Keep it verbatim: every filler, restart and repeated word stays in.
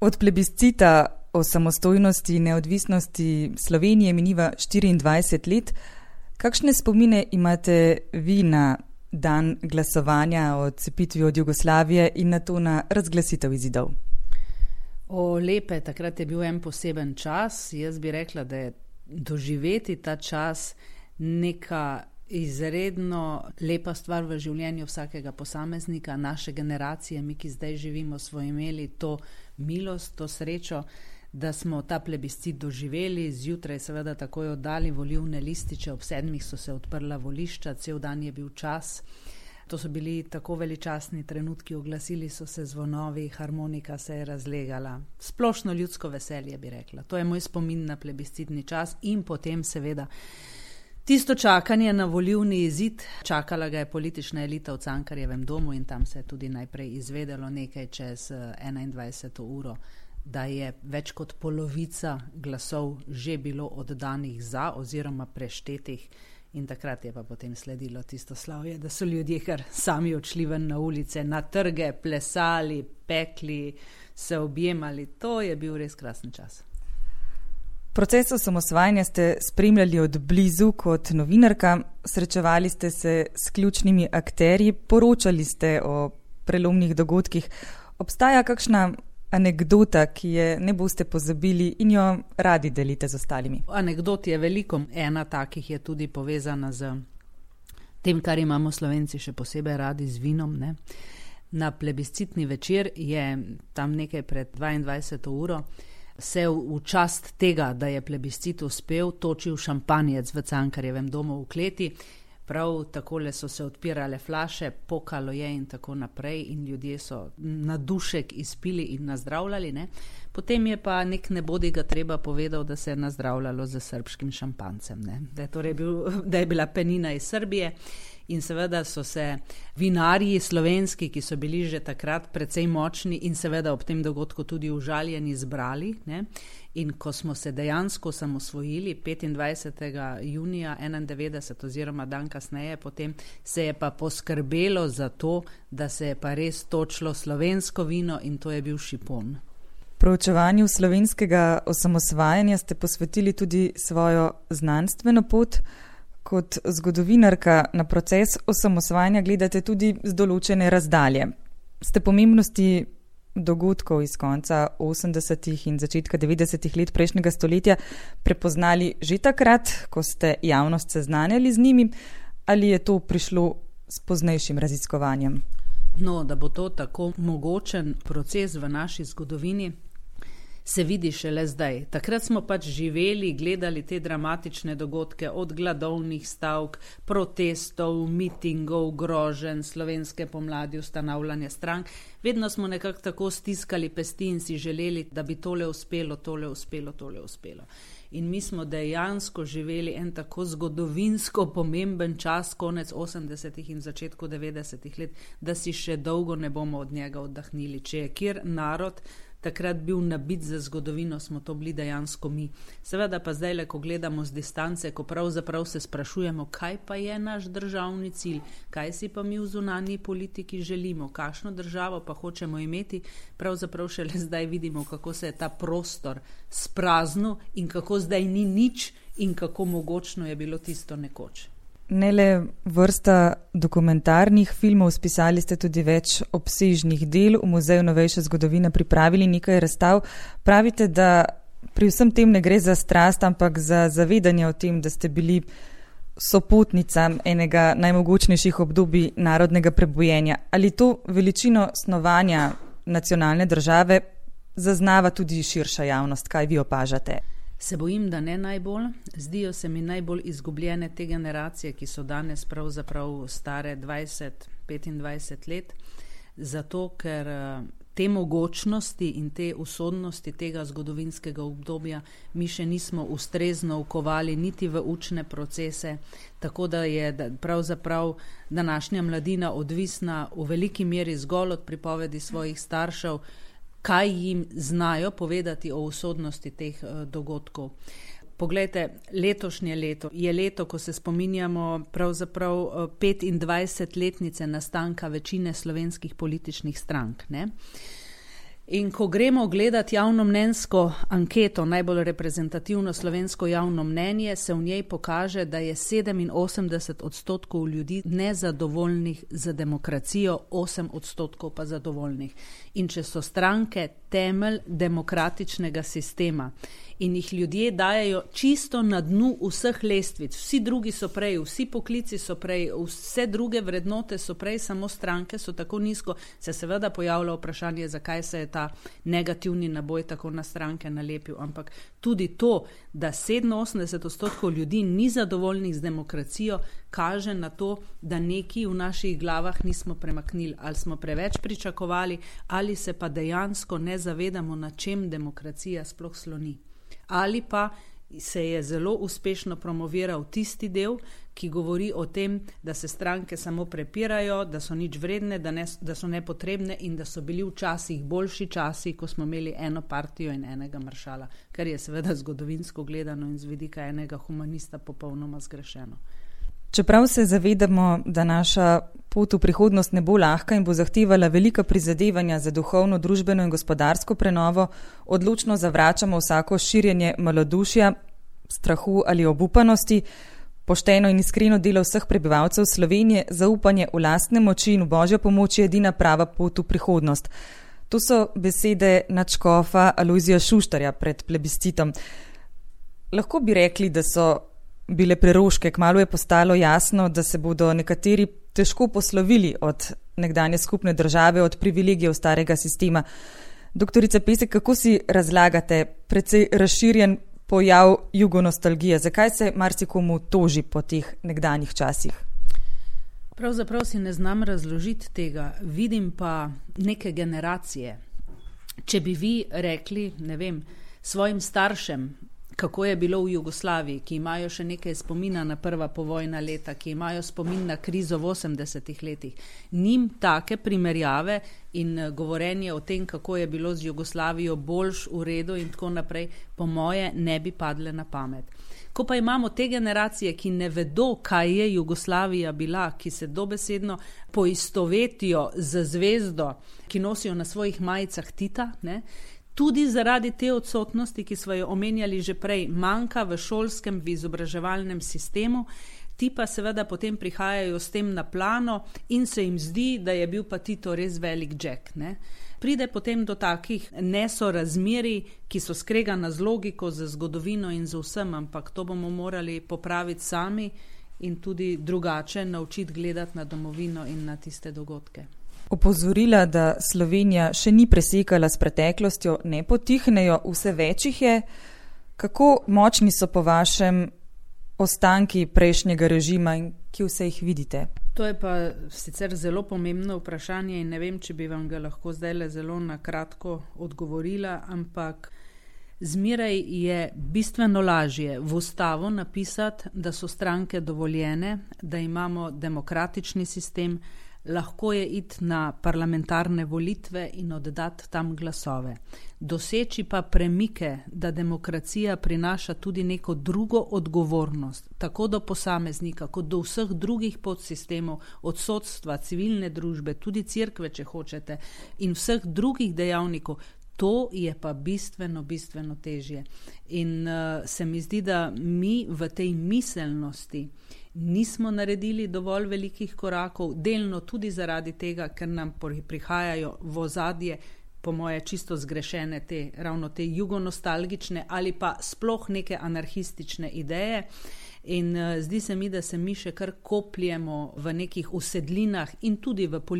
Od plebiscita o samostojnosti in neodvisnosti Slovenije miniva štiriindvajset let. Kakšne spomine imate vi na dan glasovanja o odcepitvi od Jugoslavije in na to na razglasitev izidov? O, lepe, takrat je bil en poseben čas. Jaz bi rekla, da je doživeti ta čas neka izredno lepa stvar v življenju vsakega posameznika, naše generacije, mi, ki zdaj živimo, smo imeli to milost, to srečo, da smo ta plebiscit doživeli, zjutraj seveda takoj oddali volilne lističe, ob sedmih so se odprla volišča, cel dan je bil čas. To so bili tako veličastni trenutki, oglasili so se zvonovi, harmonika se je razlegala. Splošno ljudsko veselje, bi rekla. To je moj spomin na plebiscitni čas in potem seveda tisto čakanje na volilni izid. Čakala ga je politična elita v Cankarjevem domu in tam se je tudi najprej izvedelo nekaj čez enaindvajseto uro, da je več kot polovica glasov že bilo oddanih za oziroma preštetih. In takrat je pa potem sledilo tisto slavje, da so ljudje kar sami odšli ven na ulice, na trge, plesali, pekli, se objemali. To je bil res krasen čas. Proces osamosvajanja ste spremljali od blizu kot novinarka, srečevali ste se s ključnimi akterji, poročali ste o prelomnih dogodkih. Obstaja kakšna anekdota, ki je ne boste pozabili in jo radi delite z ostalimi? Anekdot je veliko. Ena takih je tudi povezana z tem, kar imamo Slovenci še posebej radi, z vinom. Ne? Na plebiscitni večer je tam nekaj pred dvaindvajseto uro se v čast tega, da je plebiscit uspel, točil šampanjec v Cankarjevem domu v kleti. Prav takole so se odpirale flaše, pokalo je in tako naprej in ljudje so na dušek izpili in nazdravljali. Ne? Potem je pa nek nebodiga treba povedal, da se je nazdravljalo z srbskim šampancem. Ne? Da, je torej bil, da je bila penina iz Srbije in seveda so se vinarji slovenski, ki so bili že takrat precej močni in seveda ob tem dogodku tudi užaljeni, zbrali. Ne? In ko smo se dejansko osamosvojili petindvajsetega junija enaindevetdeset oziroma dan kasneje, potem se je pa poskrbelo za to, da se je pa res točilo slovensko vino in to je bil šipon. Proučevanju slovenskega osamosvajanja ste posvetili tudi svojo znanstveno pot. Kot zgodovinarka na proces osamosvajanja gledate tudi z določene razdalje. Ste pomembnosti dogodkov iz konca osemdesetih in začetka devetdesetih let prejšnjega stoletja prepoznali že takrat, ko ste javnost seznanjali z njimi, ali je to prišlo s poznejšim raziskovanjem? No, da bo to tako mogočen proces v naši zgodovini, se vidi šele zdaj. Takrat smo pač živeli, gledali te dramatične dogodke od gladovnih stavk, protestov, mitingov, groženj, slovenske pomladi, ustanavljanja strank. Vedno smo nekako tako stiskali pesti in si želeli, da bi tole uspelo, tole uspelo, tole uspelo. In mi smo dejansko živeli en tako zgodovinsko pomemben čas, konec osemdesetih in začetku devetdesetih let, da si še dolgo ne bomo od njega oddahnili. Če je kjer narod takrat bil nabit za zgodovino, smo to bili dejansko mi. Seveda pa zdaj, ko gledamo z distance, ko pravzaprav se sprašujemo, kaj pa je naš državni cilj, kaj si pa mi v zunanji politiki želimo, kakšno državo pa hočemo imeti, pravzaprav šele zdaj vidimo, kako se je ta prostor spraznil in kako zdaj ni nič in kako mogočno je bilo tisto nekoč. Ne le vrsta dokumentarnih filmov, spisali ste tudi več obsežnih del, v Muzeju novejše zgodovine pripravili nekaj razstav. Pravite, da pri vsem tem ne gre za strast, ampak za zavedanje o tem, da ste bili sopotnica enega najmogočnejših obdobij narodnega prebojenja. Ali to veličino snovanja nacionalne države zaznava tudi širša javnost? Kaj vi opažate? Se bojim, da ne najbolj. Zdijo se mi najbolj izgubljene te generacije, ki so danes pravzaprav stare dvajset, petindvajset let, zato ker te mogočnosti in te usodnosti tega zgodovinskega obdobja mi še nismo ustrezno vkovali niti v učne procese, tako da je pravzaprav današnja mladina odvisna v veliki meri zgolj od pripovedi svojih staršev, kaj jim znajo povedati o usodnosti teh dogodkov. Poglejte, letošnje leto je leto, ko se spominjamo pravzaprav petindvajsetletnice nastanka večine slovenskih političnih strank, ne? In ko gremo gledati javnomnenjsko anketo, najbolj reprezentativno slovensko javno mnenje, se v njej pokaže, da je sedeminosemdeset odstotkov ljudi nezadovoljnih z demokracijo, osem odstotkov pa zadovoljnih. In če so stranke temelj demokratičnega sistema in jih ljudje dajejo čisto na dnu vseh lestvic, vsi drugi so prej, vsi poklici so prej, vse druge vrednote so prej, samo stranke so tako nizko, se seveda pojavlja vprašanje, zakaj se je ta negativni naboj tako na stranke nalepil, ampak tudi to, da sedeminosemdeset odstotkov ljudi ni zadovoljnih z demokracijo, kaže na to, da nekaj v naših glavah nismo premaknili, ali smo preveč pričakovali, ali se pa dejansko ne zavedamo, na čem demokracija sploh sloni. Ali pa se je zelo uspešno promoviral tisti del, ki govori o tem, da se stranke samo prepirajo, da so nič vredne, da, ne, da so nepotrebne in da so bili včasih boljši časi, ko smo imeli eno partijo in enega maršala, kar je seveda zgodovinsko gledano in z vidika enega humanista popolnoma zgrešeno. Čeprav se zavedamo, da naša pot v prihodnost ne bo lahka in bo zahtevala velika prizadevanja za duhovno, družbeno in gospodarsko prenovo, odločno zavračamo vsako širjenje malodušja, strahu ali obupanosti, pošteno in iskreno delo vseh prebivalcev Slovenije, zaupanje v lastne moči in v Božjo pomoč je edina prava pot v prihodnost. To so besede nadškofa Alojzija Šuštarja pred plebiscitom. Lahko bi rekli, da so bile preroške, kmalu je postalo jasno, da se bodo nekateri težko poslovili od nekdanje skupne države, od privilegijev starega sistema. Doktorica Pesek, kako si razlagate precej razširjen pojav jugonostalgije? Zakaj se marsikomu toži po teh nekdanjih časih? Pravzaprav si ne znam razložiti tega, vidim pa neke generacije. Če bi vi rekli, ne vem, svojim staršem, kako je bilo v Jugoslaviji, ki imajo še nekaj spomina na prva povojna leta, ki imajo spomin na krizo v osemdesetih letih. Njim take primerjave in govorenje o tem, kako je bilo z Jugoslavijo boljš, v redu in tako naprej, po moje ne bi padle na pamet. Ko pa imamo te generacije, ki ne vedo, kaj je Jugoslavija bila, ki se dobesedno poistovetijo z zvezdo, ki nosijo na svojih majicah Tita, ne, tudi zaradi te odsotnosti, ki smo jo omenjali že prej, manjka v šolskem, v izobraževalnem sistemu, ti pa seveda potem prihajajo s tem na plano in se jim zdi, da je bil pa Tito res velik Jack. Ne? Pride potem do takih nesorazmerij, ki so skregana z logiko, z zgodovino in z vsem, ampak to bomo morali popraviti sami in tudi drugače naučiti gledati na domovino in na tiste dogodke. Opozorila, da Slovenija še ni presekala s preteklostjo, ne potihnejo, vse več jih je. Kako močni so po vašem ostanki prejšnjega režima in kje vse jih vidite? To je pa sicer zelo pomembno vprašanje in ne vem, če bi vam ga lahko zdajle zelo na kratko odgovorila, ampak zmeraj je bistveno lažje v ustavo napisati, da so stranke dovoljene, da imamo demokratični sistem, lahko je iti na parlamentarne volitve in oddati tam glasove. Doseči pa premike, da demokracija prinaša tudi neko drugo odgovornost, tako do posameznika, kot do vseh drugih podsistemov, od sodstva, civilne družbe, tudi cerkve, če hočete, in vseh drugih dejavnikov, to je pa bistveno, bistveno težje. In uh, se mi zdi, da mi v tej miselnosti nismo naredili dovolj velikih korakov, delno tudi zaradi tega, ker nam prihajajo v ozadje, po moje čisto zgrešene te, ravno te jugonostalgične ali pa sploh neke anarhistične ideje. In uh, zdi se mi, da se mi še kar kopljemo v nekih usedlinah in tudi v politiki.